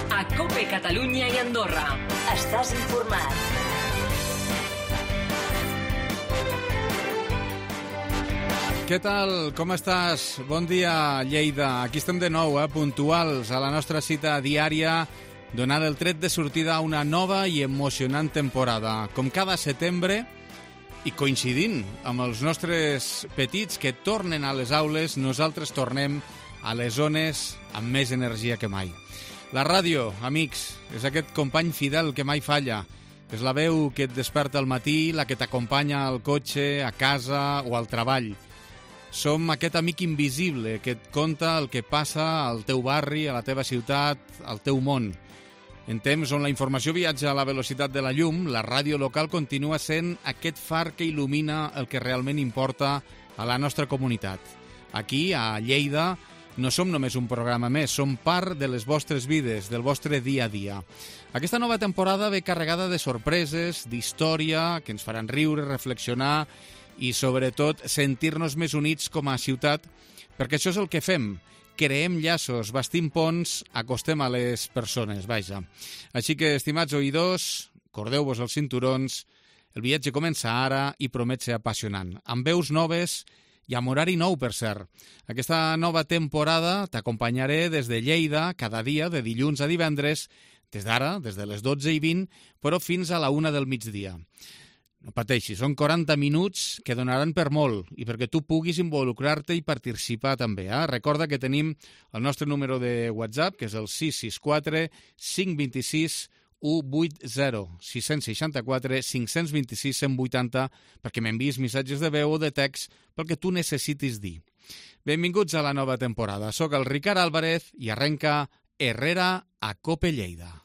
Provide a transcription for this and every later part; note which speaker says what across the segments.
Speaker 1: A COPE Catalunya i Andorra.
Speaker 2: Estàs informat.
Speaker 3: Què tal? Com estàs? Bon dia, Lleida. Aquí estem de nou, puntuals a la nostra cita diària, donant el tret de sortida a una nova i emocionant temporada. Com cada setembre, i coincidint amb els nostres petits que tornen a les aules, nosaltres tornem a les zones amb més energia que mai. La ràdio, amics, és aquest company fidel que mai falla. És la veu que et desperta al matí, la que t'acompanya al cotxe, a casa o al treball. Som aquest amic invisible que et conta el que passa al teu barri, a la teva ciutat, al teu món. En temps on la informació viatja a la velocitat de la llum, la ràdio local continua sent aquest far que il·lumina el que realment importa a la nostra comunitat. Aquí, a Lleida, no som només un programa més, som part de les vostres vides, del vostre dia a dia. Aquesta nova temporada ve carregada de sorpreses, d'història, que ens faran riure, reflexionar i, sobretot, sentir-nos més units com a ciutat, perquè això és el que fem. Creem llaços, bastim ponts, acostem a les persones, vaja. Així que, estimats oïdors, cordeu-vos els cinturons, el viatge comença ara i promet ser apassionant. Amb veus noves i amb horari nou, per cert. Aquesta nova temporada t'acompanyaré des de Lleida, cada dia, de dilluns a divendres, des d'ara, des de les 12:20, però fins a la 1 del migdia. No pateixis, són 40 minuts que donaran per molt i perquè tu puguis involucrar-te i participar també. Recorda que tenim el nostre número de WhatsApp, que és el 664 526 180, 664 526 180, perquè m'enviïs missatges de veu o de text pel que tu necessitis dir. Benvinguts a la nova temporada. Soc el Ricard Álvarez i arrenca Herrera a COPE Lleida.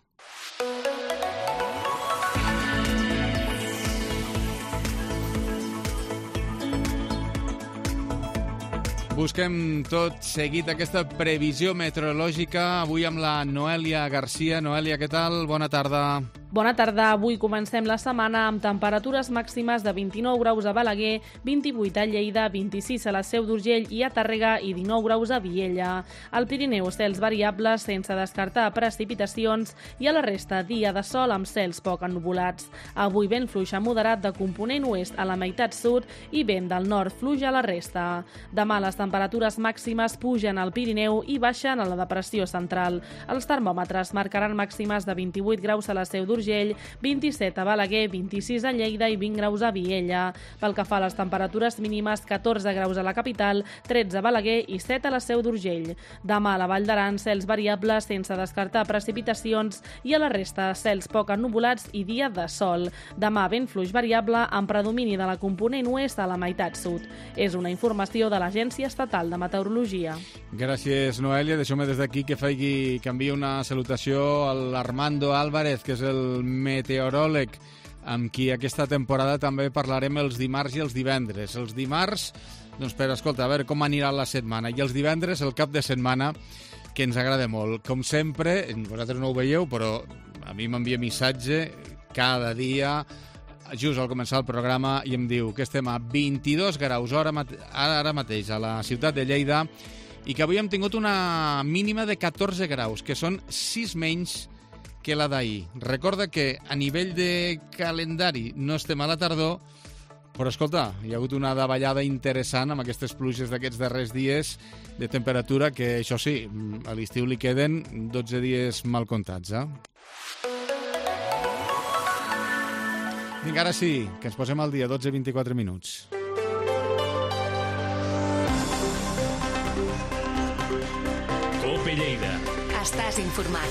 Speaker 3: Busquem tot seguit aquesta previsió meteorològica, avui amb la Noèlia Garcia. Noèlia, què tal? Bona tarda.
Speaker 4: Bona tarda. Avui comencem la setmana amb temperatures màximes de 29 graus a Balaguer, 28 a Lleida, 26 a la Seu d'Urgell i a Tàrrega i 19 graus a Viella. Al Pirineu, cels variables sense descartar precipitacions i a la resta dia de sol amb cels poc ennuvolats. Avui vent fluix a moderat de component oest a la meitat sud i vent del nord fluix a la resta. Demà les temperatures màximes pugen al Pirineu i baixen a la depressió central. Els termòmetres marcaran màximes de 28 graus a la Seu d'Urgell, 27 a Balaguer, 26 a Lleida i 20 graus a Viella. Pel que fa a les temperatures mínimes, 14 graus a la capital, 13 a Balaguer i 7 a la Seu d'Urgell. Demà a la Vall d'Aran, cels variables sense descartar precipitacions i a la resta cels poc ennuvolats i dia de sol. Demà vent fluix variable amb predomini de la component oest a la meitat sud. És una informació de l'Agència Estatal de Meteorologia.
Speaker 3: Gràcies, Noèlia. Deixeu-me des d'aquí que canviï una salutació a l'Armando Álvarez, que és el meteoròleg amb qui aquesta temporada també parlarem els dimarts i els divendres. Els dimarts, doncs escolta, a veure com anirà la setmana, i els divendres el cap de setmana, que ens agrada molt. Com sempre, vosaltres no ho veieu, però a mi m'envia missatge cada dia, just al començar el programa, i em diu que estem a 22 graus ara mateix a la ciutat de Lleida i que avui hem tingut una mínima de 14 graus, que són 6 menys que la d'ahir. Recorda que a nivell de calendari no estem a la tardor, però escolta, hi ha hagut una davallada interessant amb aquestes pluges d'aquests darrers dies de temperatura que, això sí, a l'estiu li queden 12 dies mal comptats, Vinga, ara sí, que ens posem al dia, 12:24 minuts.
Speaker 1: COPE Lleida. Estàs informat.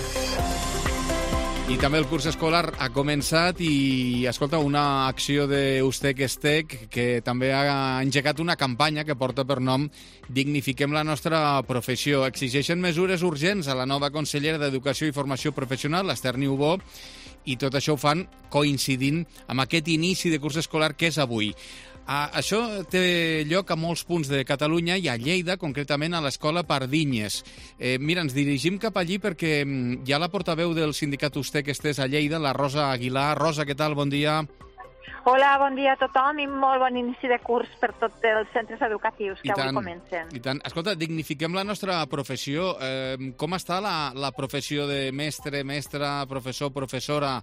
Speaker 3: I també el curs escolar ha començat i, escolta, una acció d'Ustec Estec que també ha engegat una campanya que porta per nom Dignifiquem la nostra professió. Exigeixen mesures urgents a la nova consellera d'Educació i Formació Professional, l'Ester Niubó, i tot això ho fan coincidint amb aquest inici de curs escolar que és avui. Això té lloc a molts punts de Catalunya i a Lleida, concretament a l'Escola Pardinyes. Mira, ens dirigim cap allí perquè hi ha la portaveu del sindicat Ustec Estès a Lleida, la Rosa Aguilar. Rosa, què tal? Bon dia.
Speaker 5: Hola, bon dia a tothom i molt bon inici de curs per tots els centres educatius que avui comencen.
Speaker 3: I tant. Escolta, dignifiquem la nostra professió. Com està la professió de mestre, mestra, professor, professora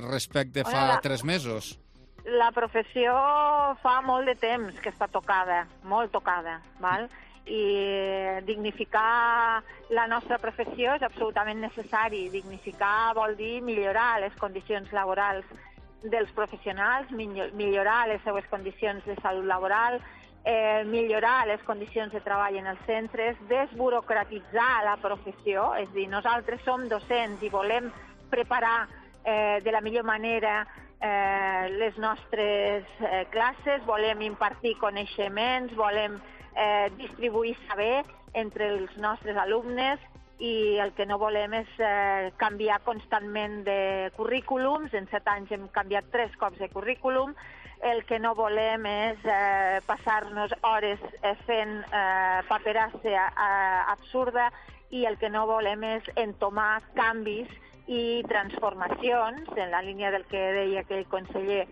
Speaker 3: respecte fa 3 mesos?
Speaker 5: La professió fa molt de temps que està tocada, molt tocada, val? I dignificar la nostra professió és absolutament necessari. Dignificar vol dir millorar les condicions laborals dels professionals, millorar les seues condicions de salut laboral, millorar les condicions de treball en els centres, desburocratitzar la professió, és a dir, nosaltres som docents i volem preparar de la millor manera les nostres classes, volem impartir coneixements, volem distribuir saber entre els nostres alumnes i el que no volem és canviar constantment de currículums. En 7 anys hem canviat 3 cops de currículum. El que no volem és passar-nos hores fent paperassa absurda i el que no volem és entomar canvis i transformacions, en la línia del que deia aquell conseller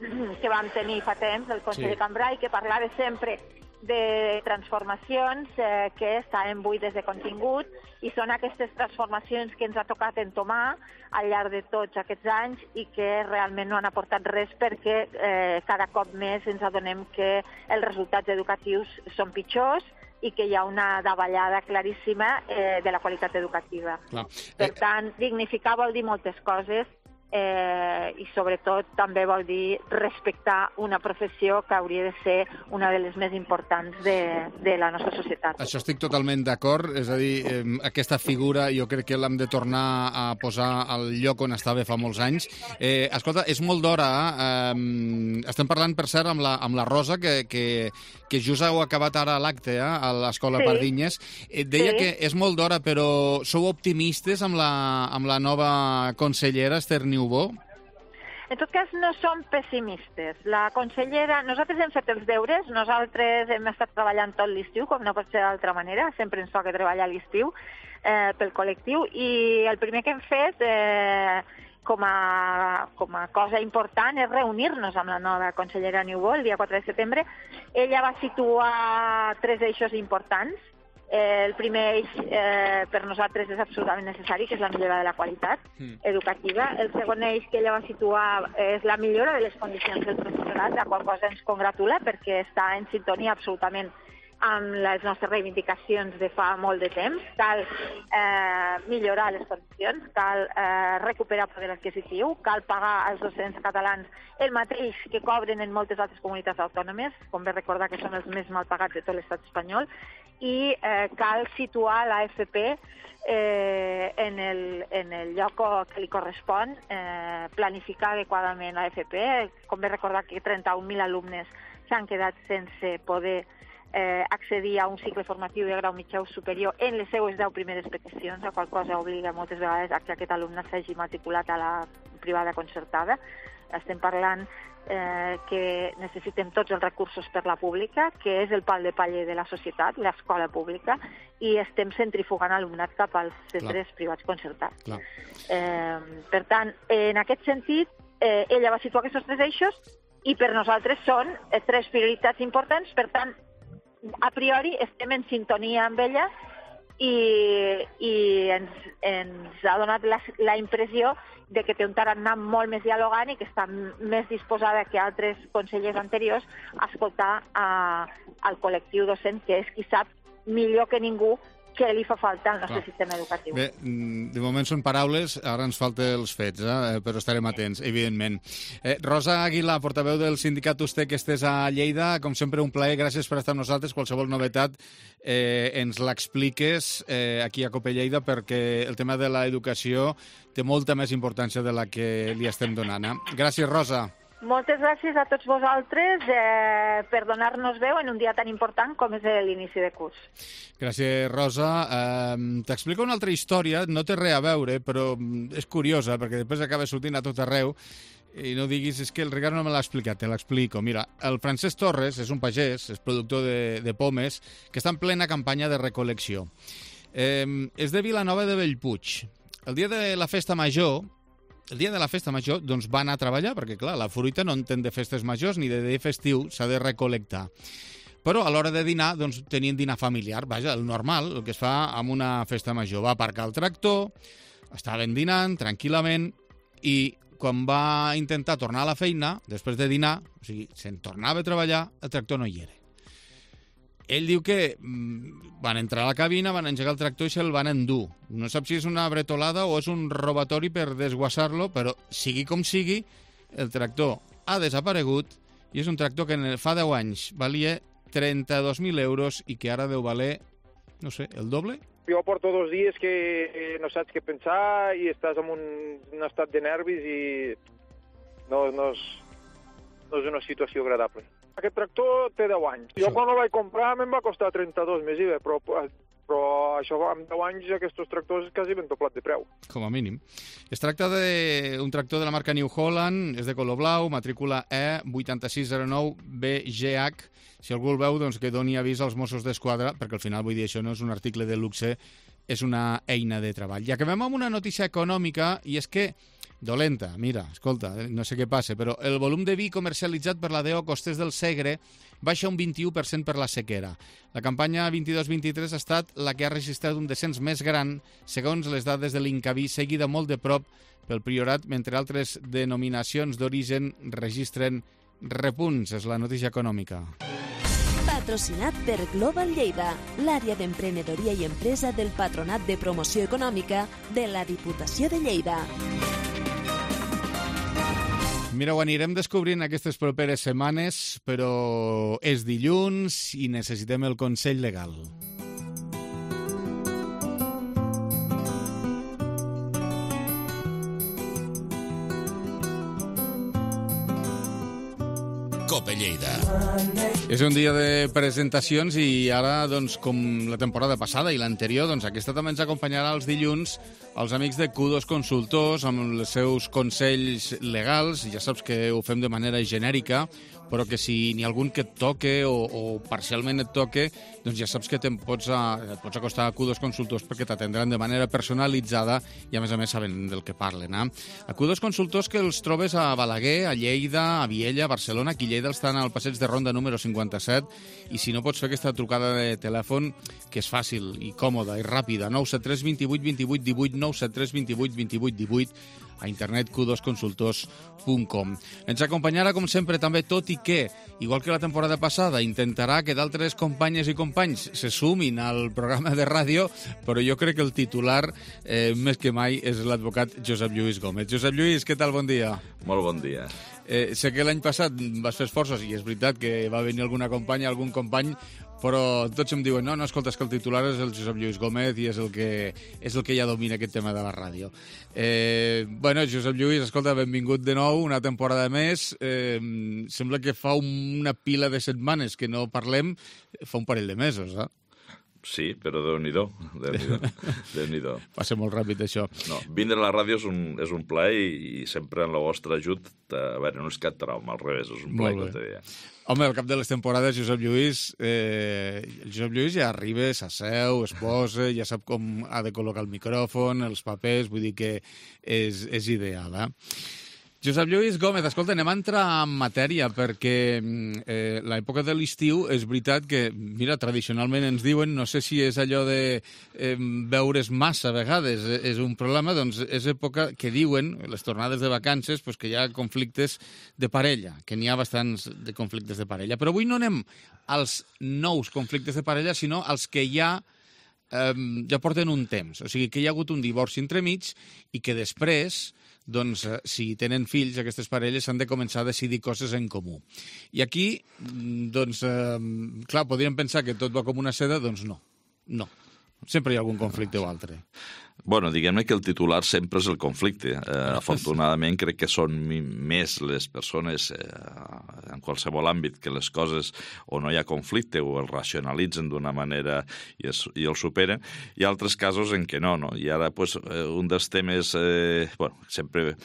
Speaker 5: que vam tenir fa temps, el conseller Cambray, que parlava sempre de transformacions que estaven buides de contingut, i són aquestes transformacions que ens ha tocat entomar al llarg de tots aquests anys i que realment no han aportat res, perquè cada cop més ens adonem que els resultats educatius són pitjors i que hi ha una davallada claríssima de la qualitat educativa. Per tant, dignificar vol dir moltes coses, i sobretot també vol dir respectar una professió que hauria de ser una de les més importants de la nostra societat.
Speaker 3: Això estic totalment d'acord, és a dir, aquesta figura jo crec que l'hem de tornar a posar al lloc on estava fa molts anys. Escolta, és molt d'hora, estem parlant, per cert, amb la Rosa, que just heu acabat ara l'acte a l'Escola Pardinyes. Deia que és molt d'hora, però sou optimistes amb la nova consellera, Esther Niubó?
Speaker 5: En tot cas, no som pessimistes. La consellera... Nosaltres hem fet els deures, nosaltres hem estat treballant tot l'estiu, com no pot ser d'altra manera, sempre ens toca treballar a l'estiu pel col·lectiu, i el primer que hem fet com a cosa important és reunir-nos amb la nova consellera Niubó el dia 4 de setembre. Ella va situar 3 eixos importants. El primer eix per nosaltres és absolutament necessari, que és la millora de la qualitat educativa. El segon eix que ella va situar és la millora de les condicions del professorat, la qual cosa ens congratula perquè està en sintonia absolutament amb les nostres reivindicacions de fa molt de temps. Cal millorar les condicions, cal recuperar poder adquisitiu, cal pagar als docents catalans el mateix que cobren en moltes altres comunitats autònomes, com bé recordar que són els més mal pagats de tot l'estat espanyol, i cal situar l'AFP en el lloc que li correspon, planificar adequadament l'AFP. Com bé recordar que 31.000 alumnes s'han quedat sense poder accedir a un cicle formatiu de grau mitjà o superior en les seues 10 primeres peticions, la qual cosa obliga moltes vegades a que aquest alumne s'hagi matriculat a la privada concertada. Estem parlant que necessitem tots els recursos per la pública, que és el pal de paller de la societat, l'escola pública, i estem centrifugant alumnat cap als centres privats concertats. Per tant, en aquest sentit, ella va situar aquests 3 eixos i per nosaltres són 3 prioritats importants. Per tant, a priori estem en sintonia amb ella i ens ha donat la impressió de que té un tarannà molt més dialogant i que està més disposada que altres consellers anteriors a escoltar al col·lectiu docent, que és qui sap millor que ningú què li fa falta al nostre sistema educatiu.
Speaker 3: Bé, de moment són paraules, ara ens falten els fets, però estarem atents, evidentment. Rosa Aguilar, portaveu del sindicat USTE, que estàs a Lleida, com sempre un plaer, gràcies per estar amb nosaltres. Qualsevol novetat ens l'expliques aquí a COPE Lleida, perquè el tema de l'educació té molta més importància de la que li estem donant. Gràcies, Rosa.
Speaker 5: Moltes gràcies a tots vosaltres per donar-nos veu en un dia tan important com és l'inici de curs.
Speaker 3: Gràcies, Rosa. T'explico una altra història, no té res a veure, però és curiosa, perquè després acaba sortint a tot arreu, i no diguis, és que el Ricard no me l'ha explicat, te l'explico. Mira, el Francesc Torres és un pagès, és productor de pomes, que està en plena campanya de recol·lecció. És de Vilanova de Bellpuig. El dia de la festa major el dia de la festa major doncs va anar a treballar, perquè clar, la fruita no entén de festes majors ni de dia festiu, s'ha de recol·lectar. Però a l'hora de dinar, doncs tenien dinar familiar, vaja, el normal, el que es fa amb una festa major. Va aparcar el tractor, estaven dinant tranquil·lament i quan va intentar tornar a la feina, després de dinar, o sigui, se'n tornava a treballar, el tractor no hi era. Ell diu que van entrar a la cabina, van engegar el tractor i se'l van endur. No sap si és una bretolada o és un robatori per desguassar-lo, però sigui com sigui, el tractor ha desaparegut i és un tractor que fa 10 anys valia 32.000 euros i que ara deu valer, no sé, el doble?
Speaker 6: Jo porto 2 dies que no saps què pensar i estàs en un estat de nervis i no és una situació agradable. Aquest tractor té 10 anys. Jo quan el vaig comprar me'n va costar 32 més IVA, però això amb 10 anys aquests tractors quasi ben doblat de preu.
Speaker 3: Com a mínim. Es tracta d'un tractor de la marca New Holland, és de color blau, matrícula E8609BGH. Si algú el veu, doncs que doni avís als Mossos d'Esquadra, perquè al final, vull dir, això no és un article de luxe, és una eina de treball. I acabem amb una notícia econòmica, i és que dolenta, mira, escolta, no sé què passa, però el volum de vi comercialitzat per la DO Costers del Segre baixa un 21% per la sequera. La campanya 22-23 ha estat la que ha registrat un descens més gran, segons les dades de l'Incavi, seguida molt de prop pel Priorat, mentre altres denominacions d'origen registren repunts. És la notícia econòmica.
Speaker 2: Patrocinat per Global Lleida, l'àrea d'emprenedoria i empresa del Patronat de Promoció Econòmica de la Diputació de Lleida.
Speaker 3: Mira, ho anirem descobrint aquestes properes setmanes, però és dilluns i necessitem el consell legal.
Speaker 1: Cope Lleida.
Speaker 3: És un dia de presentacions i ara, doncs, com la temporada passada i l'anterior, doncs aquesta també ens acompanyarà els dilluns els amics de Q2 Consultors amb els seus consells legals. Ja saps que ho fem de manera genèrica, però que si n'hi ha algun que et toque o parcialment et toque, doncs ja saps que et pots acostar a Q2 Consultors perquè t'atendran de manera personalitzada i a més saben del que parlen. A Q2 Consultors, que els trobes a Balaguer, a Lleida, a Viella, a Barcelona. Aquí a Lleida estan al passeig de Ronda número 57 i si no pots fer aquesta trucada de telèfon, que és fàcil i còmoda i ràpida, 973 28 28 18, 973 28 28 18, a internet q2consultors.com. Ens acompanyarà, com sempre, també, tot i que, igual que la temporada passada, intentarà que d'altres companyes i companys se sumin al programa de ràdio, però jo crec que el titular, més que mai, és l'advocat Josep Lluís Gómez. Josep Lluís, què tal? Bon dia.
Speaker 7: Molt bon dia.
Speaker 3: Sé que l'any passat vas fer esforços i és veritat que va venir alguna companya, algun company, però tots em diuen, no, escolta, és que el titular és el Josep Lluís Gómez i és el que ja domina aquest tema de la ràdio. Bueno, Josep Lluís, escolta, benvingut de nou, una temporada més. Sembla que fa una pila de setmanes que no parlem, fa un parell de mesos, eh?
Speaker 7: Sí, però Déu-n'hi-do. Déu-n'hi-do.
Speaker 3: Passa molt ràpid, això.
Speaker 7: No, vindre a la ràdio és un plaer i sempre en el vostre ajut, a veure, no és cap trauma, al revés, és un plaer que te deia.
Speaker 3: Home, al cap de les temporades, Josep Lluís ja arriba, s'asseu, es posa, ja sap com ha de col·locar el micròfon, els papers, vull dir que és ideal, eh? Josep Lluís Gómez, escolta, anem a entrar en matèria, perquè l'època de l'estiu és veritat que, mira, tradicionalment ens diuen, no sé si és allò de veure's massa a vegades, és un problema, doncs és època que diuen, les tornades de vacances, pues, que hi ha conflictes de parella, que n'hi ha bastants de conflictes de parella. Però avui no anem als nous conflictes de parella, sinó als que ja porten un temps. O sigui, que hi ha hagut un divorci entremig i que després, doncs, si tenen fills, aquestes parelles han de començar a decidir coses en comú. I aquí, doncs, clar, podríem pensar que tot va com una seda, doncs no. Sempre hi ha algun conflicte o altre.
Speaker 7: Bueno, diguem-ne que el titular sempre és el conflicte. Afortunadament crec que són més les persones en qualsevol àmbit que les coses o no hi ha conflicte o el racionalitzen d'una manera i el superen. Hi ha altres casos en què no. I ara, pues, un dels temes, sempre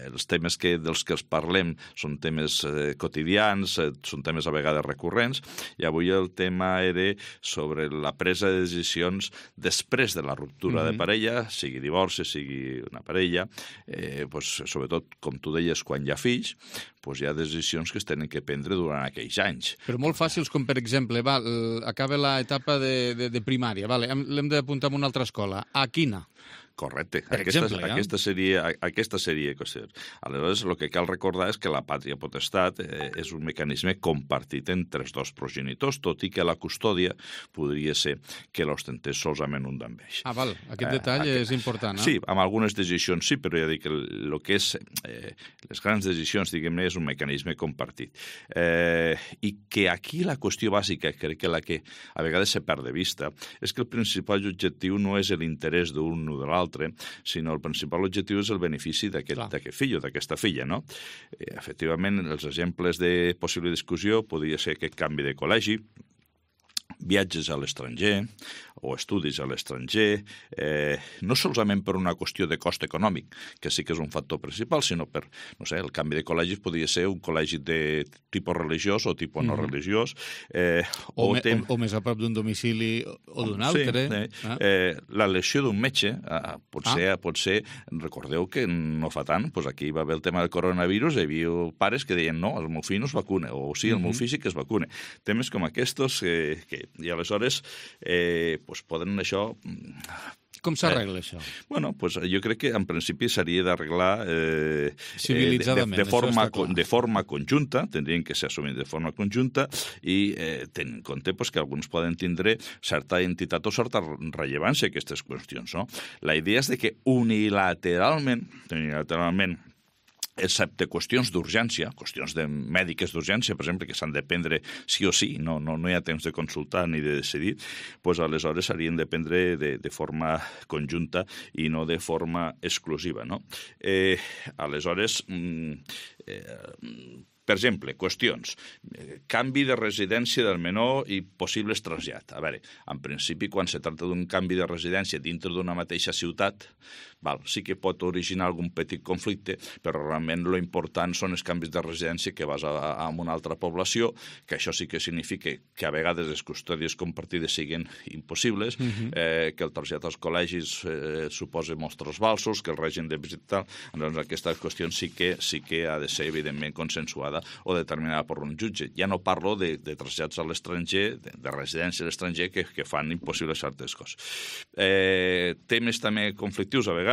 Speaker 7: els temes dels que els parlem són temes quotidians, són temes a vegades recurrents, i avui el tema era sobre la presa de decisions després de la ruptura de parella parella, sigui divorci, sigui una parella, sobretot, com tu deies, quan hi ha fills, hi ha decisions que es tenen que prendre durant aquells anys.
Speaker 3: Però molt fàcils, com per exemple, acaba l'etapa de primària, l'hem d'apuntar a una altra escola. A quina?
Speaker 7: Correcte.
Speaker 3: Aquesta
Speaker 7: seria qüestió. Aleshores, el que cal recordar és que la pàtria potestat és un mecanisme compartit entre els dos progenitors, tot i que la custòdia podria ser que l'ostentés solament un d'ells.
Speaker 3: Val. Aquest detall és important,
Speaker 7: Sí, amb algunes decisions sí, però ja dic que el que és les grans decisions, diguem-ne, és un mecanisme compartit. I que aquí la qüestió bàsica, crec que la que a vegades se perd de vista, és que el principal objectiu no és l'interès d'un o de l'altre, sinó el principal objectiu és el benefici d'aquest fill o d'aquesta filla, no? Efectivament, els exemples de possible discussió podria ser aquest canvi de col·legi, viatges a l'estranger o estudis a l'estranger, no solament per una qüestió de cost econòmic, que sí que és un factor principal, sinó per, no sé, el canvi de col·legis podria ser un col·legi de tipus religiós o tipus no religiós.
Speaker 3: O més a prop d'un domicili o d'un altre.
Speaker 7: L'elecció d'un metge pot ser, recordeu que no fa tant, aquí va haver el tema del coronavirus, hi havia pares que deien no, el meu fill no es vacuna, o sí, el meu fill sí que es vacuna. Temes com aquests i aleshores poden això...
Speaker 3: Com s'arregla això?
Speaker 7: Bueno, jo crec que en principi s'hauria d'arreglar
Speaker 3: civilitzadament,
Speaker 7: de forma conjunta, tindrien que ser assumits de forma conjunta i tenint en compte que alguns poden tindre certa entitat o certa rellevància aquestes qüestions, no? La idea és que unilateralment, excepte qüestions d'urgència, qüestions mèdiques d'urgència, per exemple, que s'han de prendre sí o sí, no hi ha temps de consultar ni de decidir, aleshores s'haurien de prendre de forma conjunta i no de forma exclusiva, no? Aleshores, per exemple, qüestions. Canvi de residència del menor i possibles trasllat. A veure, en principi, quan se tracta d'un canvi de residència dintre d'una mateixa ciutat, sí que pot originar algun petit conflicte, però realment l'important són els canvis de residència que vas a una altra població, que això sí que significa que a vegades les custòdies compartides siguin impossibles, que el trasllat als col·legis suposa molts trasbalsos, que el règim de visita, doncs aquestes qüestions sí que ha de ser evidentment consensuada o determinada per un jutge. Ja no parlo de trasllats a l'estranger, de residència a l'estranger, que fan impossibles certes coses. Temes també conflictius a vegades,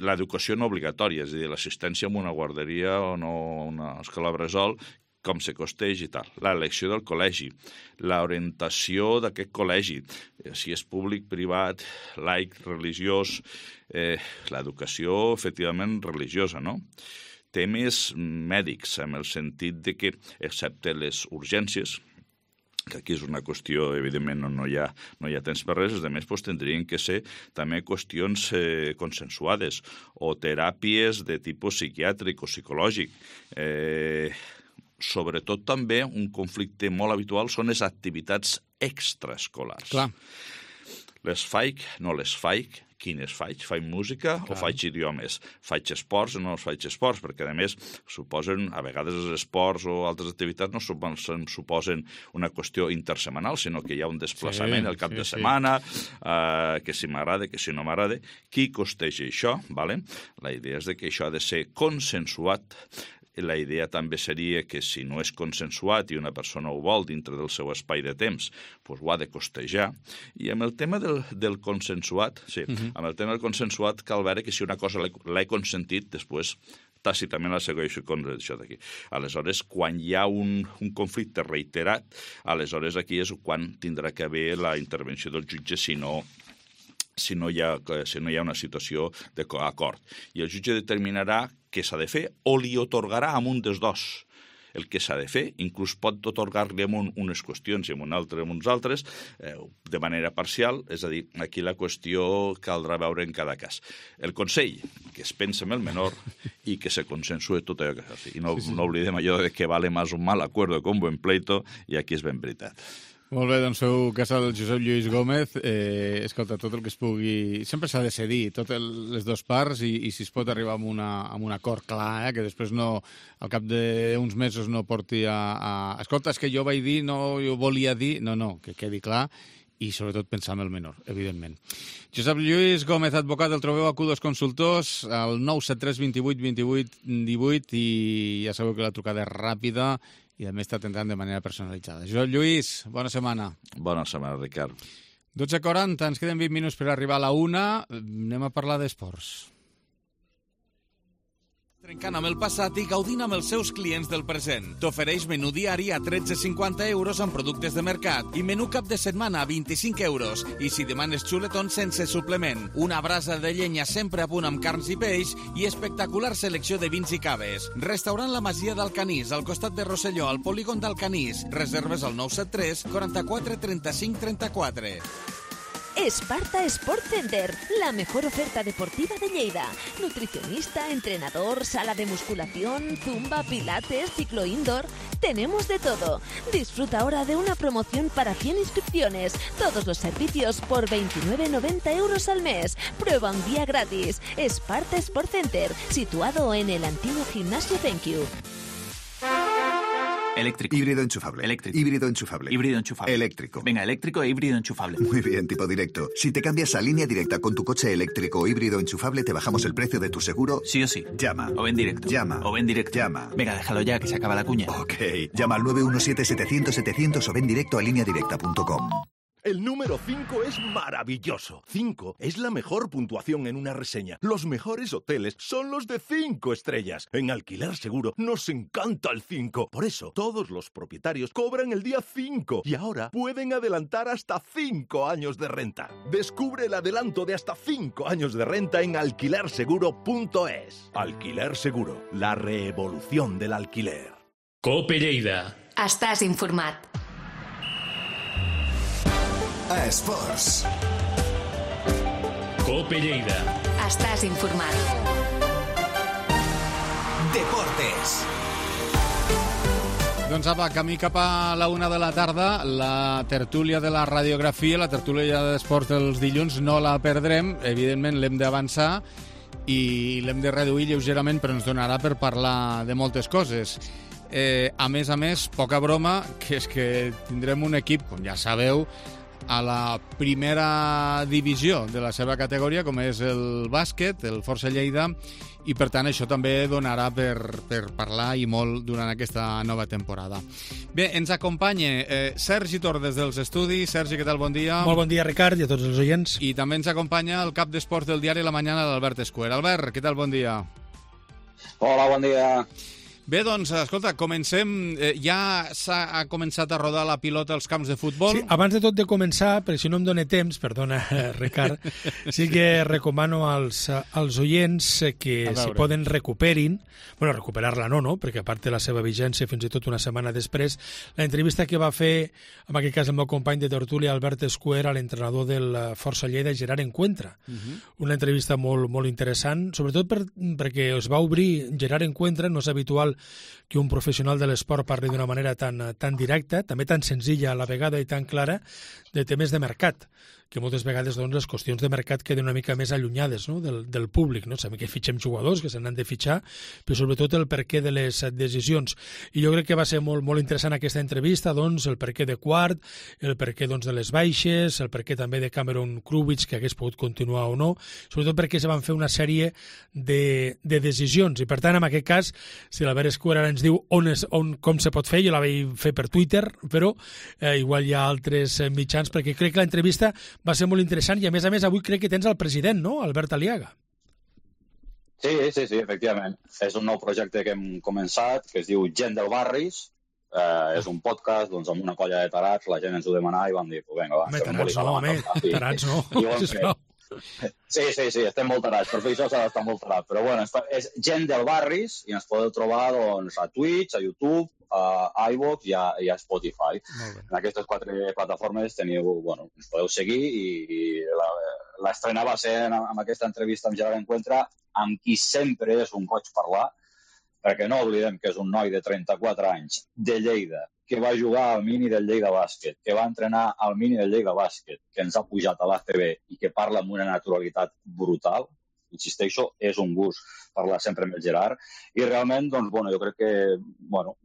Speaker 7: l'educació no obligatòria, és a dir, l'assistència a una guarderia o no a una escola bressol, com se costeix i tal. L'elecció del col·legi, l'orientació d'aquest col·legi, si és públic, privat, laic, religiós, l'educació efectivament religiosa, no? Temes mèdics, en el sentit de que, excepte les urgències, que aquí és una qüestió, evidentment, no hi ha temps per res, a més, tindrien que ser també qüestions consensuades o teràpies de tipus psiquiàtric o psicològic. Sobretot també un conflicte molt habitual són les activitats extraescolars.
Speaker 3: Clar.
Speaker 7: Les faig, no les faig, quines faig? Faig música o faig idiomes? Faig esports o no faig esports? Perquè, a més, a vegades els esports o altres activitats no suposen una qüestió intersemanal, sinó que hi ha un desplaçament al cap de setmana, que si m'agrada, que si no m'agrada. Qui costeja això? La idea és que això ha de ser consensuat. La idea també seria que si no és consensuat i una persona ho vol dintre del seu espai de temps, ho ha de costejar. I amb el tema del consensuat, amb el tema del consensuat cal veure que si una cosa l'he consentit, després tàcitament la segueixo contra això d'aquí. Aleshores, quan hi ha un conflicte reiterat, aleshores aquí és quan tindrà que haver la intervenció del jutge si no hi ha una situació d'acord. I el jutge determinarà què s'ha de fer o li atorgarà amb un dels dos el que s'ha de fer, inclús pot atorgar-li amb unes qüestions i amb uns altres, de manera parcial, és a dir, aquí la qüestió caldrà veure en cada cas. El consell, que es pensa en el menor i que se consensue tot allò que s'ha de fer. I no oblidem allò de que vale más un mal acuerdo que un buen pleito, i aquí és ben veritat.
Speaker 3: Molt bé, doncs feu cas al Josep Lluís Gómez. Escolta, tot el que es pugui... Sempre s'ha de cedir, totes les dues parts, i si es pot arribar a un acord clar, que després no, al cap d'uns mesos no porti a... Escolta, és que jo vaig dir, no, jo volia dir... No, que quedi clar. i sobretot pensar en el menor, evidentment. Josep Lluís Gómez, advocat, el trobeu a Q2 Consultors, al 973 28 28 18, i ja sabeu que la trucada és ràpida i a més està atentant de manera personalitzada. Josep Lluís, bona setmana.
Speaker 7: Bona setmana, Ricard.
Speaker 3: 12:40, ens queden 20 minuts per arribar a la 1. Anem a parlar d'esports. Trencant amb el passat i gaudint amb els seus clients del present. T'ofereix menú diari a 13,50 € amb productes de mercat i menú cap de setmana a 25 €. I si demanes xuletons sense suplement, una brasa de llenya sempre a punt amb carns i peix i espectacular selecció de vins i caves. Restaurant La Masia d'Alcanís, al costat de Rosselló, al polígon d'Alcanís. Reserves al 973 44 35 34.
Speaker 2: Esparta Sport Center, la mejor oferta deportiva de Lleida. Nutricionista, entrenador, sala de musculación, zumba, pilates, ciclo indoor. Tenemos de todo. Disfruta ahora de una promoción para 100 inscripciones. Todos los servicios por 29,90 € al mes. Prueba un día gratis. Esparta Sport Center, situado en el antiguo gimnasio Thank You.
Speaker 8: Eléctrico.
Speaker 9: Híbrido enchufable.
Speaker 8: Eléctrico.
Speaker 9: Híbrido enchufable.
Speaker 8: Híbrido enchufable.
Speaker 9: Eléctrico.
Speaker 8: Venga, eléctrico e híbrido enchufable.
Speaker 9: Muy bien, tipo directo. Si te cambias a Línea Directa con tu coche eléctrico o híbrido enchufable, te bajamos el precio de tu seguro.
Speaker 8: Sí o sí.
Speaker 9: Llama.
Speaker 8: O ven directo.
Speaker 9: Llama.
Speaker 8: O ven directo.
Speaker 9: Llama.
Speaker 8: Venga, déjalo ya, que se acaba la cuña.
Speaker 9: Ok. Llama al 917-700-700 o ven directo a lineadirecta.com.
Speaker 10: El número 5 es maravilloso. 5 es la mejor puntuación en una reseña. Los mejores hoteles son los de 5 estrellas. En Alquiler Seguro nos encanta el 5. Por eso, todos los propietarios cobran el día 5 y ahora pueden adelantar hasta 5 años de renta. Descubre el adelanto de hasta 5 años de renta en alquilerseguro.es. Alquiler Seguro, la revolución del alquiler.
Speaker 1: Cope Lleida.
Speaker 2: Estàs informat.
Speaker 9: A Esports.
Speaker 1: Cope Lleida.
Speaker 2: Estàs informat.
Speaker 9: Deportes.
Speaker 3: Doncs apa, camí cap a la 1 de la tarda, la tertúlia de la radiografia, la tertúlia d'esports dels dilluns, no la perdrem, evidentment l'hem d'avançar i l'hem de reduir lleugerament, però ens donarà per parlar de moltes coses. A més, poca broma, que és que tindrem un equip, com ja sabeu, a la primera divisió de la seva categoria, com és el bàsquet, el Força Lleida, i per tant això també donarà per parlar i molt durant aquesta nova temporada. Bé, ens acompanya Sergi Tor des dels estudis. Sergi, què tal? Bon dia.
Speaker 11: Molt bon dia, Ricard, i a tots els oients.
Speaker 3: I també ens acompanya el cap d'esports del diari La Mañana, l'Albert Escuer. Albert, què tal? Bon dia.
Speaker 12: Hola, bon dia.
Speaker 3: Bé, doncs, escolta, comencem. Ja s'ha començat a rodar la pilota als camps de futbol.
Speaker 11: Sí, abans de tot de començar, perquè si no em dóna temps, perdona, Ricard, sí que recomano als oients que si poden recuperin, bueno, recuperar-la no, perquè a part de la seva vigència fins i tot una setmana després, la entrevista que va fer, en aquest cas el meu company de tertúlia, Albert Escuer, a l'entrenador del Força Lleida, Gerard Encuentra. Una entrevista molt, molt interessant, sobretot perquè es va obrir Gerard Encuentra, no és habitual que un professional de l'esport parli d'una manera tan directa, també tan senzilla a la vegada i tan clara, de temes de mercat, que moltes vegades doncs, les qüestions de mercat queden una mica més allunyades, no? del públic. No? Sabem que fitxem jugadors, que se n'han de fitxar, però sobretot el perquè de les decisions. I jo crec que va ser molt, molt interessant aquesta entrevista, doncs, el perquè de Quart, el perquè doncs, de les baixes, el perquè també de Cameron Kruvich, que hagués pogut continuar o no, sobretot perquè se van fer una sèrie de decisions. I per tant, en aquest cas, si l'Albert Escuer ara ens diu com se pot fer, jo la vaig fer per Twitter, però igual hi ha altres mitjans, perquè crec que l'entrevista va ser molt interessant i, a més, avui crec que tens el president, no?, Albert Aliaga.
Speaker 12: Sí, efectivament. És un nou projecte que hem començat, que es diu Gent del Barris. És un podcast, doncs, amb una colla de tarats, la gent ens ho demanava i vam dir, vinga, va.
Speaker 11: Tarats no.
Speaker 12: Sí, estem molt tarats, per fer això s'ha d'estar molt tarat. Però bueno, és Gent del Barris i ens podeu trobar doncs, a Twitch, a YouTube, a iVoox i a Spotify. En aquestes 4 plataformes ens podeu seguir i l'estrena va ser amb aquesta entrevista amb Gerard Encuentra, amb qui sempre és un goig parlar, perquè no oblidem que és un noi de 34 anys de Lleida, que va jugar al mini del Lleida Bàsquet, que va entrenar al mini del Lleida Bàsquet, que ens ha pujat a l'ACB i que parla amb una naturalitat brutal. insisteixo, és un gust parlar sempre amb el Gerard, i realment, doncs, bueno, jo crec que, bueno,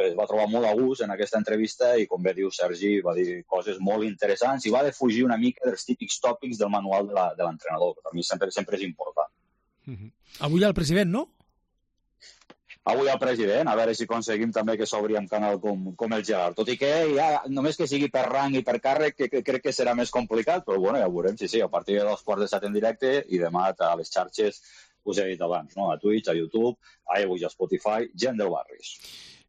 Speaker 12: es va trobar molt a gust en aquesta entrevista i, com bé diu Sergi, va dir coses molt interessants i va defugir una mica dels típics tòpics del manual de l'entrenador, que per mi sempre és important.
Speaker 11: Avui hi ha el president, no?
Speaker 12: Avui al president, a veure si aconseguim també que s'obri un canal com el Gerard. Tot i que ja, només que sigui per rang i per càrrec, que crec que serà més complicat, però bueno, ja ho veurem, sí, a partir de 2:15 en directe i demà a les xarxes, us he dit abans, no? A Twitch, a YouTube, a iVoox, a Spotify, gent del Barris.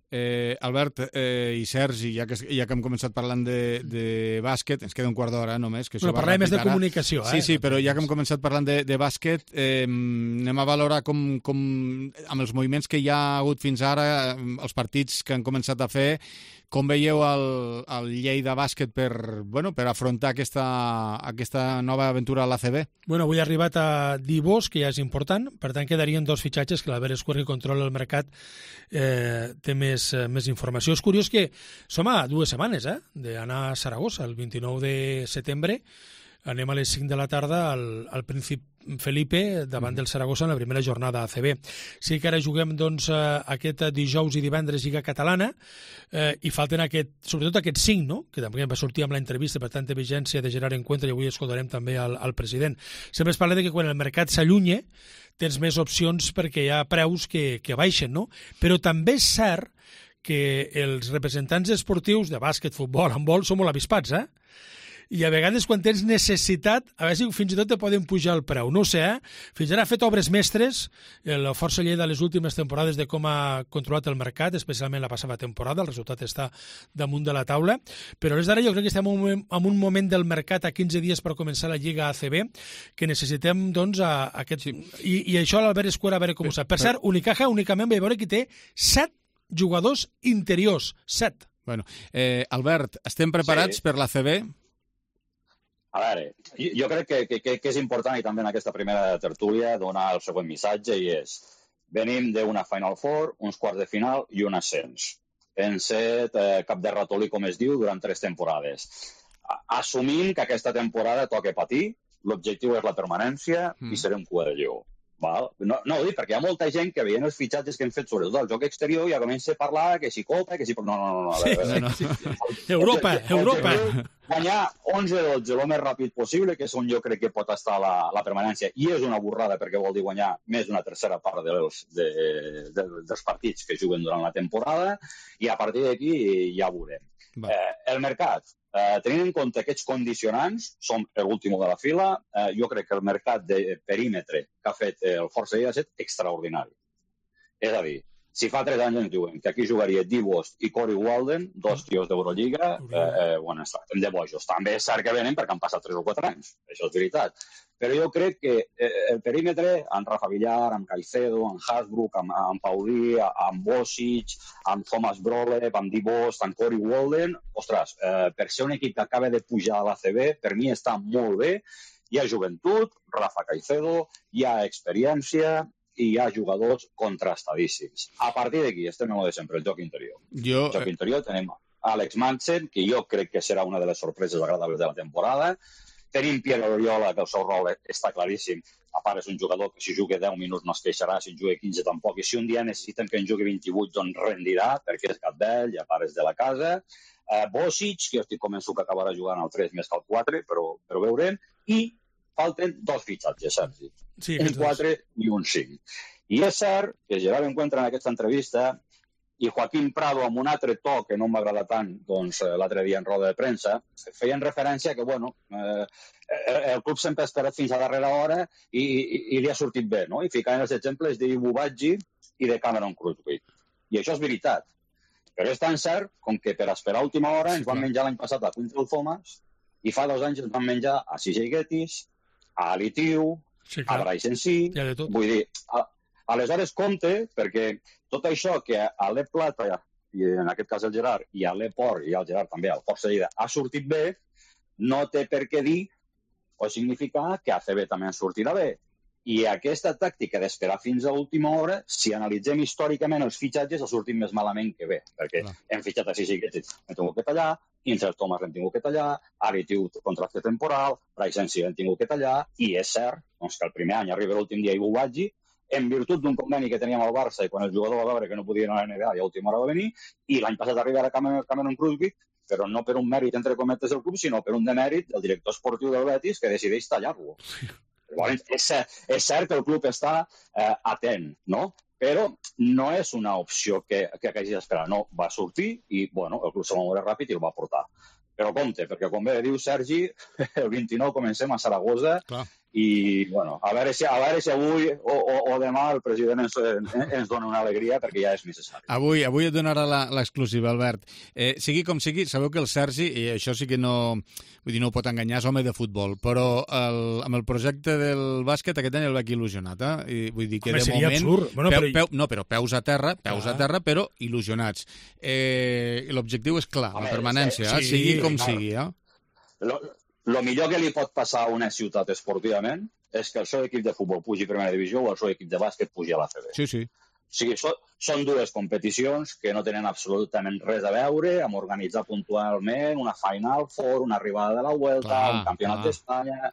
Speaker 3: Albert i Sergi, ja que hem començat parlant de bàsquet, ens queda un quart d'hora només. Que
Speaker 11: parlem més de comunicació.
Speaker 3: Sí, però ja que hem començat parlant de bàsquet, anem a valorar com amb els moviments que hi ha hagut fins ara, els partits que han començat a fer, com veieu el Lleida Bàsquet per afrontar aquesta nova aventura a l'ACB?
Speaker 11: Bueno, avui ha arribat a Divós, que ja és important, per tant quedarien 2 fitxatges que l'Albert Escuer, que controla el mercat, té més informació. És curiós que som a 2 setmanes d'anar a Saragossa, el 29 de setembre. Anem a les 5 de la tarda al Príncip Felipe davant del Saragossa en la primera jornada ACB. Sí que ara juguem doncs, aquest dijous i divendres Lliga Catalana i falten sobretot aquests 5, no? Que també va sortir amb l'entrevista, per tant, de vigència de Gerard Encuentra, i avui escoltarem també al president. Sempre es parla que quan el mercat s'allunya tens més opcions perquè hi ha preus que baixen, no? Però també és cert que els representants esportius de bàsquet, futbol, handbol, són molt avispats, i a vegades quan tens necessitat, a veure si fins i tot te poden pujar el preu. No ho sé, Fins ara ha fet obres mestres, la Força Lleida les últimes temporades de com ha controlat el mercat, especialment la passada temporada, el resultat està damunt de la taula, però des d'ara jo crec que estem en un moment del mercat a 15 dies per començar la Lliga ACB, que necessitem, doncs, aquest... I això l'Albert Escuer, a veure com ho sap. Per cert, Unicaja únicament va veure que té 7 jugadors interiors, 7.
Speaker 3: Bueno, Albert, estem preparats per l'ACB?
Speaker 12: A veure, jo crec que és important, i també en aquesta primera tertúlia, donar el següent missatge, i és: venim d'una Final Four, uns quarts de final i un ascens. Hem set cap de ratolí, com es diu, durant 3 temporades. Assumint que aquesta temporada toca patir, l'objectiu és la permanència i serem cua de lleó. Val? No ho dic, perquè hi ha molta gent que veient els fitxatges que hem fet, sobretot al joc exterior, ja comença a parlar que si Copa, que si... No.
Speaker 11: Europa.
Speaker 12: Guanyar 11-12 el més ràpid possible, que és on jo crec que pot estar la permanència, i és una burrada perquè vol dir guanyar més d'una tercera part dels partits que juguen durant la temporada, i a partir d'aquí ja veurem. El mercat, tenint en compte aquests condicionants, som l'últim de la fila, jo crec que el mercat de perímetre que ha fet el Força Lleida ha estat extraordinari. És a dir, si fa 3 anys ens diuen que aquí jugaria Divos i Corey Walden, 2 tios d'Eurolliga, bueno, estem de bojos. També és cert que venen perquè han passat 3 o 4 anys, això és veritat. Però jo crec que el perímetre, amb Rafa Villar, amb Caicedo, amb Hasbrook, amb Paulí, amb Bosic, amb Thomas Brolev, amb Divos, amb Corey Walden, ostres, per ser un equip que acaba de pujar a l'ACB, per mi està molt bé. Hi ha joventut, Rafa Caicedo, hi ha experiència, i hi ha jugadors contrastadíssims. A partir d'aquí estem en el de sempre, el joc interior. El joc interior tenim Alex Manson, que jo crec que serà una de les sorpreses agradables de la temporada. Tenim Pierre Oriola, que el seu rol està claríssim. A part, és un jugador que si juga 10 minuts no es queixarà, si en juga 15 tampoc. I si un dia necessiten que en jugui 28, doncs rendirà, perquè és gat vell, i a part és de la casa. Bosic, que jo estic convençut que acabarà jugant al 3 més que al 4, però veurem. I falten 2 fitxatges, Sergi.
Speaker 11: Sí,
Speaker 12: un 4 i un 5. I és cert que Gerard Encuentra en aquesta entrevista i Joaquín Prado, amb un altre to que no m'agrada tant, doncs l'altre dia en roda de premsa, feien referència que, bueno, el club sempre ha esperat fins a darrera hora i li ha sortit bé, no? I ficaven els exemples d'Ibu Badji i de Cameron Crutchfield. I això és veritat. Però és tan cert com que per esperar a última hora ens van menjar l'any passat a Quintel Thomas i fa 2 anys ens van menjar a CJ Gettys, a Ali Tiu, a Bryce en si. Vull dir, aleshores compte, perquè tot això que a l'E Plata, i en aquest cas el Gerard, i a l'E Port, i al Gerard també, al Força Lleida, ha sortit bé, no té per què dir o significar que a ACB també en sortirà bé. I aquesta tàctica d'esperar fins a última hora, si analitzem històricament els fitxatges, ha sortit més malament que bé, perquè hem fitxat a Sisi que hem tingut que tallar, Insel Thomas l'hem tingut que tallar, Ari Tiu contracte temporal, Bryce Sensi l'hem tingut que tallar, i és cert doncs, que el primer any arriba l'últim dia i Bouadji, en virtut d'un conveni que teníem al Barça i quan el jugador va veure que no podia anar a la NBA i a última hora va venir, i l'any passat arriba a Cameron Crosby, però no per un mèrit entre cometes del club, sinó per un demèrit del director esportiu del Betis que decideix tallar-lo. És cert que el club està atent, no? Però no és una opció que hagis d'esperar. No, va sortir i bueno, el club se va moure ràpid i el va portar. Però compte, perquè com bé diu Sergi, el 29 comencem a Saragossa i bueno, a veure si avui o demà el president ens dona una alegria perquè ja és necessari.
Speaker 3: Avui et donarà l'exclusiva, Albert. Sigui com sigui, sabeu que el Sergi, i això sí que no ho pot enganyar, és home de futbol, però amb el projecte del bàsquet aquest any el veig il·lusionat. I vull dir que de moment... però peus a terra, però il·lusionats. L'objectiu és clar, la permanència, sigui com sigui.
Speaker 12: El millor que li pot passar a una ciutat esportivament és que el seu equip de futbol pugi a primera divisió o el seu equip de bàsquet pugi a l'ACB.
Speaker 3: Sí.
Speaker 12: O sigui, són dues competicions que no tenen absolutament res a veure amb organitzar puntualment una Final Four, una arribada de la Vuelta, un campionat d'Espanya...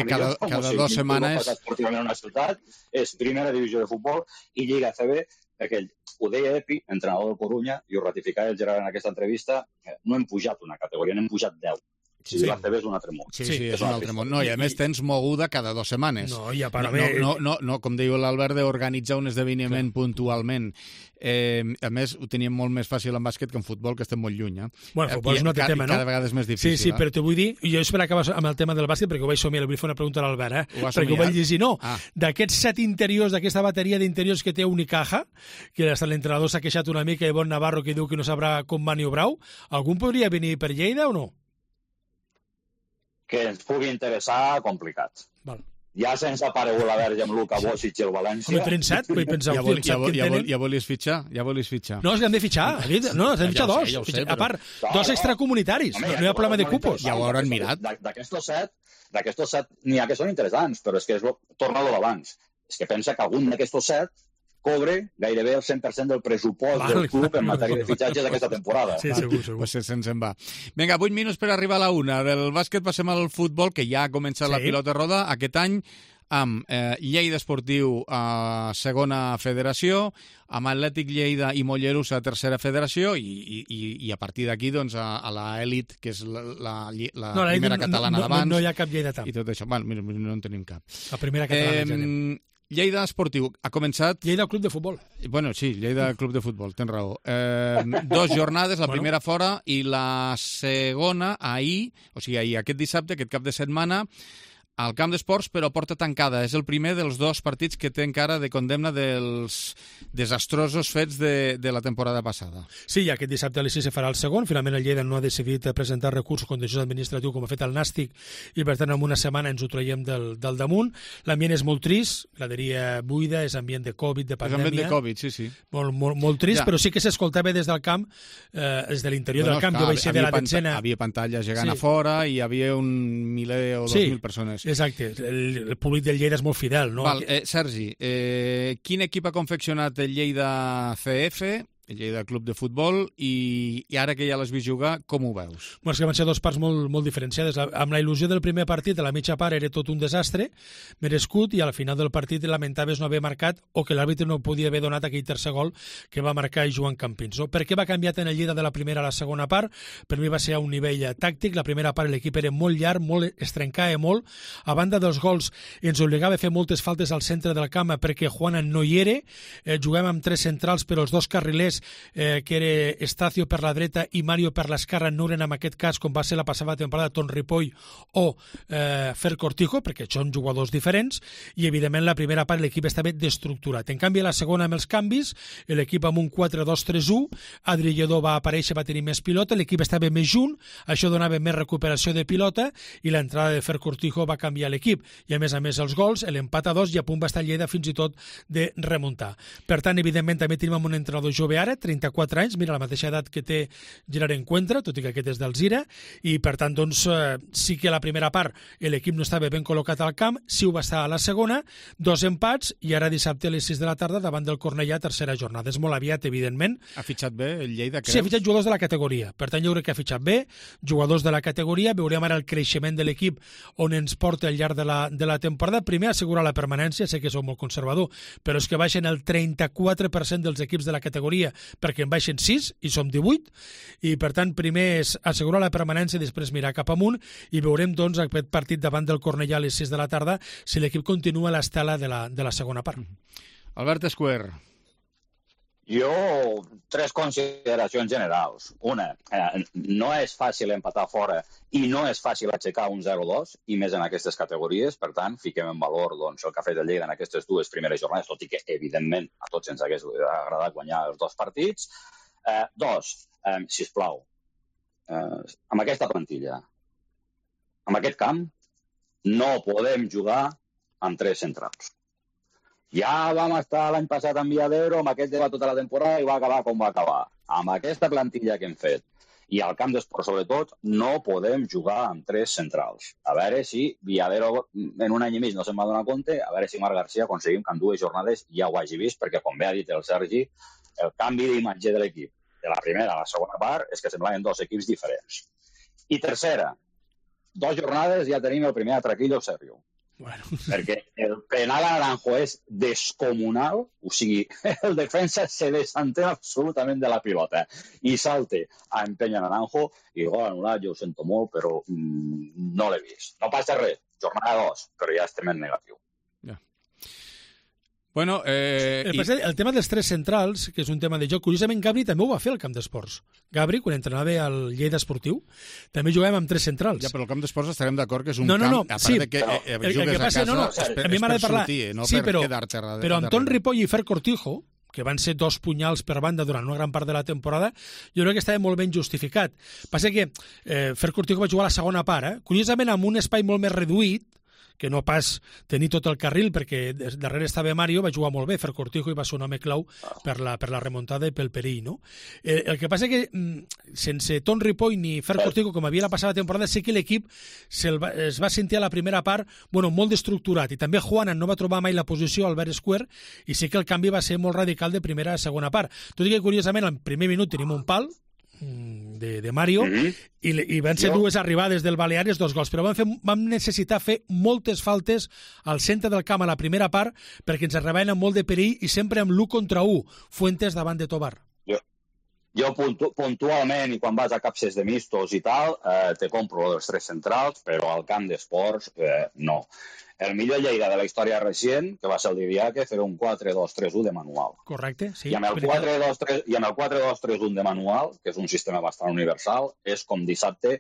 Speaker 3: Cada 2 setmanes...
Speaker 12: Esportivament una ciutat és primera divisió de futbol i Lliga ACB, perquè ho deia Epi, entrenador del Corunya, i ho ratificava el Gerard en aquesta entrevista, no hem pujat una categoria, n'hem pujat 10. Si l'ACB és un altre món.
Speaker 3: Sí, és un altre món. No, i a més tens moguda cada 2 setmanes.
Speaker 11: No, i a part
Speaker 3: no, com diu l'Albert, d'organitzar un esdeveniment puntualment. A més, ho teníem molt més fàcil en bàsquet que en futbol, que estem molt lluny.
Speaker 11: Bueno, futbol és un altre tema, no?
Speaker 3: Cada vegada és més difícil.
Speaker 11: Sí, però t'ho vull dir, i jo espero acabar amb el tema del bàsquet, perquè ho vaig somiar, li vull fer una pregunta a l'Albert, perquè ho vaig llegir. No, d'aquests 7 interiors, d'aquesta bateria d'interiors que té Unicaja, que l'entrenador s'ha queixat una mica, i Bon Navarro, que diu que no sabrà com maniobrar-ho, algun podria venir per Lleida o no?
Speaker 12: Que ens pugui interessar, complicat.
Speaker 11: Val.
Speaker 12: Ja se'ns ha aparegut la verge amb Luka Bocic i el València.
Speaker 11: Home, tenen 7, vull pensar...
Speaker 3: Ja volies fitxar?
Speaker 11: No, és que hem de fitxar. No, hem de fitxar 2. A part, 2 extracomunitaris. No hi ha problema de cupos.
Speaker 3: Ja ho hauran mirat.
Speaker 12: D'aquestos 7, n'hi ha que són interessants, però és que torna a l'abans. És que pensa que algun d'aquestos 7 cobre gairebé el 100% del pressupost del club en matèria de fitxatges d'aquesta temporada.
Speaker 11: Sí, segur.
Speaker 3: Pues se'ns en va. Vinga, 8 minuts per arribar a la 1. Del bàsquet passem al futbol, que ja ha començat la pilota roda aquest any, amb Lleida Esportiu a segona federació, amb Atlètic Lleida i Mollerussa a tercera federació i a partir d'aquí doncs, a l'elit, que és la primera catalana d'abans.
Speaker 11: No hi ha cap lleidatà.
Speaker 3: I tot això. Bueno, no en tenim cap.
Speaker 11: La primera catalana ja anem.
Speaker 3: Lleida Esportiu ha començat...
Speaker 11: Lleida Club de Futbol.
Speaker 3: Bueno, sí, Lleida Club de Futbol, tens raó. 2 jornades, la primera fora i la segona ahir, o sigui, ahir, aquest dissabte, aquest cap de setmana, al camp d'esports, però porta tancada. És el primer dels 2 partits que té encara de condemna dels desastrosos fets de la temporada passada.
Speaker 11: Sí, aquest dissabte a les 6 se farà el segon. Finalment el Lleida no ha decidit presentar recurs contenciós administratiu com ha fet el Nàstic i per tant en una setmana ens ho traiem del damunt. L'ambient és molt trist, graderia buida, és ambient de Covid, de pandèmia.
Speaker 3: És ambient de Covid, sí.
Speaker 11: Molt trist, però sí que s'escoltava des del camp, des de l'interior del camp. Jo vaig ser de la detzena.
Speaker 3: Havia pantalla gegant a fora i hi havia un 1.000 o 2.000 persones.
Speaker 11: Exacte, el públic del Lleida és molt fidel, no?
Speaker 3: Val, Sergi, quin equip ha confeccionat el Lleida CF, el Lleida Club de Futbol, i ara que ja l'has vist jugar, com ho veus?
Speaker 11: Bueno, és que van ser 2 parts molt diferenciades. Amb la il·lusió del primer partit, a la mitja part era tot un desastre, merescut, i al final del partit lamentaves no haver marcat o que l'àrbitre no podia haver donat aquell tercer gol que va marcar Joan Campins. No? Per què va canviar tant el Lleida de la primera a la segona part? Per mi va ser a un nivell tàctic. La primera part l'equip era molt llarg, es trencava molt. A banda dels gols ens obligava a fer moltes faltes al centre del camp perquè Juana no hi era. Jugàvem amb 3 centrals, però els 2 carrilers que era Estacio per la dreta i Mario per l'esquerra no eren en aquest cas com va ser la passada temporada Ton Ripoll o Fer Cortijo, perquè són jugadors diferents, i evidentment la primera part l'equip estava destructurat. En canvi a la segona amb els canvis, l'equip amb un 4-2-3-1, Adri Lledó va aparèixer, va tenir més pilota, l'equip estava més junt, això donava més recuperació de pilota i l'entrada de Fer Cortijo va canviar l'equip, i a més els gols, l'empat a 2 i a punt va estar Lleida fins i tot de remuntar. Per tant, evidentment també tenim un entrenador joveat ara, 34 anys, mira, la mateixa edat que té Gerard Encuentra, tot i que aquest és del Zira, i per tant, doncs, sí que a la primera part l'equip no estava ben col·locat al camp, sí ho va estar a la segona, 2 empats, i ara dissabte a les 6 de la tarda davant del Cornellà, tercera jornada. És molt aviat, evidentment.
Speaker 3: Ha fitxat bé el Lleida, creus?
Speaker 11: Sí, ha fitxat jugadors de la categoria. Per tant, jo crec que ha fitxat bé, jugadors de la categoria. Veurem ara el creixement de l'equip on ens porta al llarg de la temporada. Primer, assegurar la permanència, sé que sou molt conservador, però és que baixen el 34% dels equips de la categoria perquè en baixen 6 i som 18, i per tant primer és assegurar la permanència i després mirar cap amunt, i veurem doncs aquest partit davant del Cornellà a les 6 de la tarda si l'equip continua l'estela de la segona part.
Speaker 3: Albert Escuer.
Speaker 12: Jo, 3 consideracions generals. Una, no és fàcil empatar fora i no és fàcil aixecar un 0-2, i més en aquestes categories. Per tant, fiquem en valor doncs, el que ha fet el Lleida en aquestes 2 primeres jornades, tot i que, evidentment, a tots ens hagués agradat guanyar els 2 partits. 2, sisplau, amb aquesta plantilla, amb aquest camp, no podem jugar amb 3 centrals. Ja vam estar l'any passat en Viadero, amb aquest debat tota la temporada, i va acabar com va acabar. Amb aquesta plantilla que hem fet, i al camp d'esport sobretot, no podem jugar amb 3 centrals. A veure si Viadero en un any i mig no se'n va donar compte, a veure si Marc Garcia aconseguim que en 2 jornades ja ho hagi vist, perquè, com bé ha dit el Sergi, el canvi d'imatge de l'equip de la primera a la segona part és que semblaven 2 equips diferents. I tercera, 2 jornades ja tenim el primer atraquillo serio.
Speaker 11: Bueno.
Speaker 12: Perquè el penal a Naranjo és descomunal, o sigui, el defensa se desentén absolutament de la pilota i salte a empènyer Naranjo, i gol anul·lat, jo ho sento molt, però no l'he vist. No passa res, jornada 2, però ja estem en negatiu.
Speaker 3: Bueno,
Speaker 11: el tema dels 3 centrals, que és un tema de joc, curiosament Gabri també ho va fer al camp d'esports. Gabri, quan entrenava al Lleida Esportiu, també jugàvem amb 3 centrals.
Speaker 3: Ja, però el camp d'esports estarem d'acord que és un camp, a part
Speaker 11: sí,
Speaker 3: de que jugues a casa,
Speaker 11: a mi m'agrada parlar,
Speaker 3: no
Speaker 11: sí,
Speaker 3: per quedar-te darrere.
Speaker 11: Però Anton Ripoll i Fer Cortijo, que van ser 2 punyals per banda durant una gran part de la temporada, jo crec que estava molt ben justificat. Passa que Fer Cortijo va jugar a la segona part, curiosament amb un espai molt més reduït, que no pas tenir tot el carril, perquè darrere estava Mario, va jugar molt bé, Fer Cortijo, i va ser un home clau per la remuntada i pel perill, no? El que passa que sense Ton Ripoll ni Fer Cortijo, com havia la passada temporada, sé que l'equip es va sentir a la primera part molt destructurat, i també Juanan no va trobar mai la posició al Albert Escuer, i sé que el canvi va ser molt radical de primera a segona part. Tot i que, curiosament, al primer minut tenim un pal de Mario, i van ser 2 arribades del Baleares, 2 gols, però vam necessitar fer moltes faltes al centre del camp a la primera part perquè ens arribaven amb molt de perill, i sempre amb l'1 contra 1, Fuentes davant de Tobar.
Speaker 12: Jo puntualment, i quan vas a capses de mistos i tal, te compro els 3 centrals, però al camp d'esports no. El millor Lleida de la història recent, que va ser el Didiaque, era un 4-2-3-1 de manual.
Speaker 11: Correcte, sí.
Speaker 12: I amb el 4-2-3-1 de manual, que és un sistema bastant universal, és com dissabte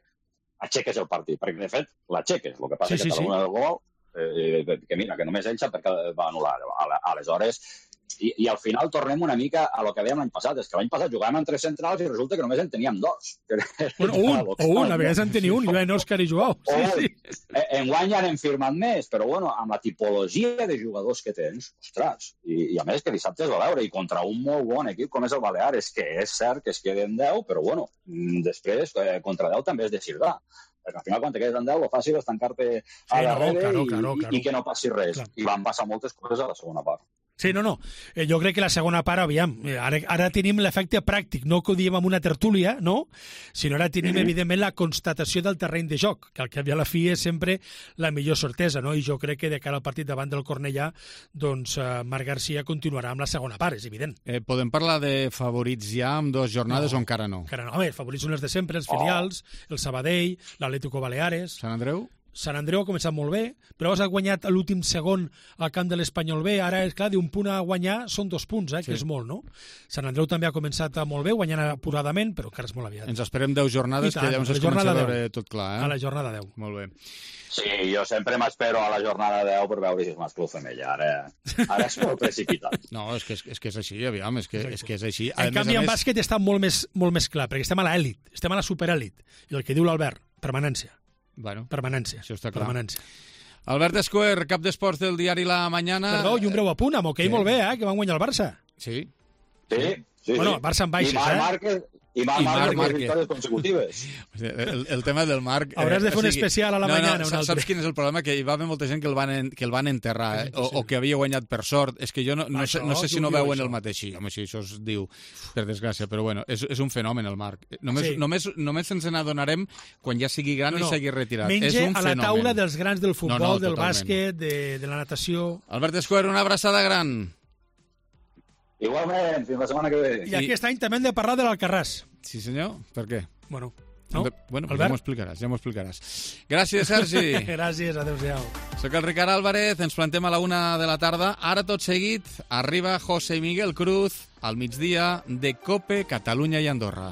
Speaker 12: aixeques el partit, perquè de fet l'aixeques. El que passa és que cada una del gol, que mira, que només ell sap perquè va anul·lar. Aleshores, i al final tornem una mica a lo que dèiem l'any passat, és que l'any passat jugàvem amb 3 centrals i resulta que només en teníem 2.
Speaker 11: O un, a vegades en tenia un, i en Òscar i Joao.
Speaker 12: Enguany ja n'hem firmat més, però amb la tipologia de jugadors que tens, ostres, i a més que dissabte es va veure, i contra un molt bon equip com és el Baleares, que és cert que es queden 10, però després contra 10 també és de cirdar. Perquè al final, quan te quedes en 10, lo fàcil és tancar-te a darrere i que no passi res. I van passar moltes coses a la segona part.
Speaker 11: Sí, no. Jo crec que la segona part, aviam, ara tenim l'efecte pràctic, no que ho diem amb una tertúlia, no? Sinó ara tenim, evidentment, la constatació del terreny de joc, que al cap i a la fi és sempre la millor certesa, no? I jo crec que de cara al partit davant del Cornellà, doncs Marc Garcia continuarà amb la segona part, és evident.
Speaker 3: Podem parlar de favorits ja amb 2 jornades o encara no?
Speaker 11: Encara no. Home, els favorits són els de sempre, els filials, el Sabadell, l'Atlético Baleares...
Speaker 3: Sant Andreu?
Speaker 11: Sant Andreu ha començat molt bé, però ha guanyat l'últim segon al camp de l'Espanyol B. Ara, és clar, d'un punt a guanyar són 2 punts, que és molt, no? Sant Andreu també ha començat molt bé, guanyant apuradament, però encara és molt aviat.
Speaker 3: Ens esperem 10 jornades, que llavors es comença a veure tot clar,
Speaker 11: A la jornada 10.
Speaker 3: Molt bé.
Speaker 12: Sí, jo sempre m'espero a la jornada 10 per veure si és mascle o femella. Ara és molt precipitat.
Speaker 3: No, és que és així, aviam, és que és així.
Speaker 11: En canvi, en bàsquet està molt més clar, perquè estem a l'elit, estem a la superelit. I el que diu l'Albert, permanència.
Speaker 3: Bueno,
Speaker 11: permanència.
Speaker 3: Això està clar.
Speaker 11: Permanència.
Speaker 3: Albert Escuer, cap d'esports del diari La Mañana.
Speaker 11: Perdó, i un breu apunt, amb hoquei molt bé, que van guanyar el Barça.
Speaker 3: Sí.
Speaker 12: Sí.
Speaker 11: Bueno, Barça en baixes,
Speaker 12: I Marc Márquez victòries consecutives.
Speaker 3: El tema del Marc...
Speaker 11: Hauràs de fer un especial a la mañana.
Speaker 3: Saps quin és el problema? Que hi va haver molta gent que el van enterrar, o que havia guanyat per sort. És que jo no sé si no veuen el mateix. Sí, home, sí, això es diu, per desgràcia, però bueno, és un fenomen el Marc. Només ens n'adonarem quan ja sigui gran i s'hagi retirat.
Speaker 11: Menja a la taula dels grans del futbol, del bàsquet, de la natació...
Speaker 3: Albert Escuer, una abraçada gran.
Speaker 12: Igualment, fins la setmana que ve.
Speaker 11: I aquest any també hem de parlar de l'Alcarràs.
Speaker 3: Sí, senyor? Per què?
Speaker 11: Bueno,
Speaker 3: Bueno, ja m'ho explicaràs. Gràcies, Sergi.
Speaker 11: Gràcies, adéu-siau.
Speaker 3: Soc el Ricard Álvarez, ens plantem a la 1 de la tarda. Ara, tot seguit, arriba José Miguel Cruz al migdia de COPE Catalunya i Andorra.